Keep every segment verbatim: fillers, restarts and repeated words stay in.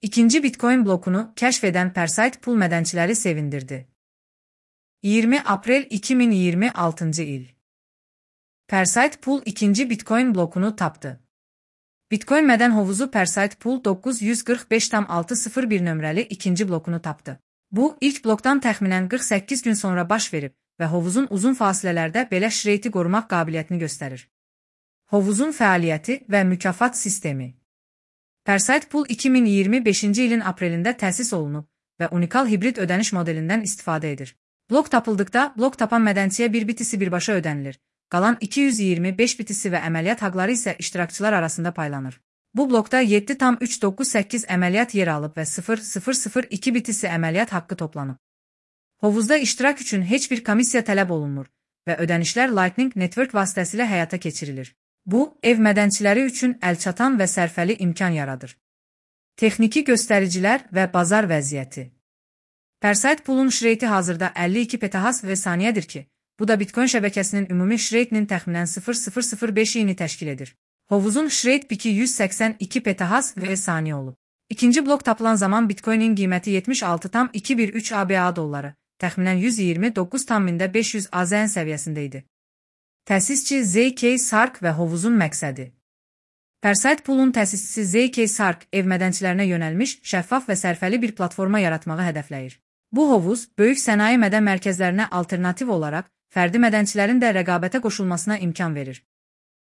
İkinci Bitcoin blokunu kəşf edən Perseit Pool mədənçiləri sevindirdi. iyirmi aprel iki min iyirmi altıncı il. Perseit Pool ikinci Bitcoin blokunu tapdı. Bitcoin mədən hovuzu Perseit Pool doqquz yüz qırx beş tam altı sıfır bir nömrəli ikinci blokunu tapdı. Bu, ilk blokdan təxminən qırx səkkiz gün sonra baş verib və hovuzun uzun fasilələrdə belə şreyti qorumaq qabiliyyətini göstərir. Hovuzun fəaliyyəti və mükafat sistemi. Perseit Pool iki min iyirmi beşinci ilin aprelində təsis olunub və unikal hibrid ödəniş modelindən istifadə edir. Blok tapıldıqda, blok tapan mədənçiyə bir bitisi birbaşa ödənilir. Qalan iki yüz iyirmi beş bitisi və əməliyyat haqları isə iştirakçılar arasında paylanır. Bu blokda yeddi tam üç doqquz səkkiz əməliyyat yer alıb və sıfır tam sıfır sıfır iki bitisi əməliyyat haqqı toplanıb. Hovuzda iştirak üçün heç bir komissiya tələb olunmur və ödənişlər Lightning Network vasitəsilə həyata keçirilir. Bu, ev mədənçiləri üçün əlçatan və sərfəli imkan yaradır. Texniki göstəricilər və bazar vəziyyəti. Perseit Pool'un şreyti hazırda əlli iki petahas və saniyədir ki, bu da Bitcoin şəbəkəsinin ümumi şreytinin təxminən sıfır tam sıfır sıfır beşini təşkil edir. Hovuzun şreyt piki yüz səksən iki petahas və saniyə olub. İkinci blok tapılan zaman Bitcoin'in qiyməti yetmiş altı tam iki bir üç ABA dolları, təxminən yüz iyirmi doqquz tam beş yüz A Z N səviyyəsində idi. Təsisçi Z K Sark və hovuzun məqsədi. Perseit Pool'un təsisçisi Z K Sark ev mədənçilərinə yönəlmiş, şəffaf və sərfəli bir platforma yaratmağı hədəfləyir. Bu hovuz, böyük sənaye mədən mərkəzlərinə alternativ olaraq, fərdi mədənçilərin də rəqabətə qoşulmasına imkan verir.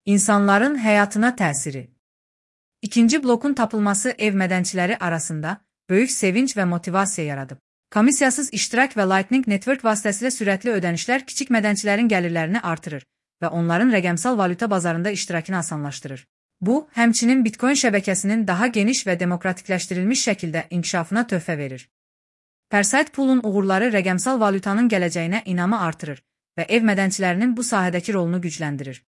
İnsanların həyatına təsiri. İkinci blokun tapılması ev mədənçiləri arasında böyük sevinç və motivasiya yaradıb. Komissiyasız iştirak və Lightning Network vasitəsilə sürətli ödənişlər kiçik mədənçilərin gəlirlərini artırır və onların rəqəmsal valyuta bazarında iştirakını asanlaşdırır. Bu, həmçinin Bitcoin şəbəkəsinin daha geniş və demokratikləşdirilmiş şəkildə inkişafına töhfə verir. Perseit Pool'un uğurları rəqəmsal valyutanın gələcəyinə inamı artırır və ev mədənçilərinin bu sahədəki rolunu gücləndirir.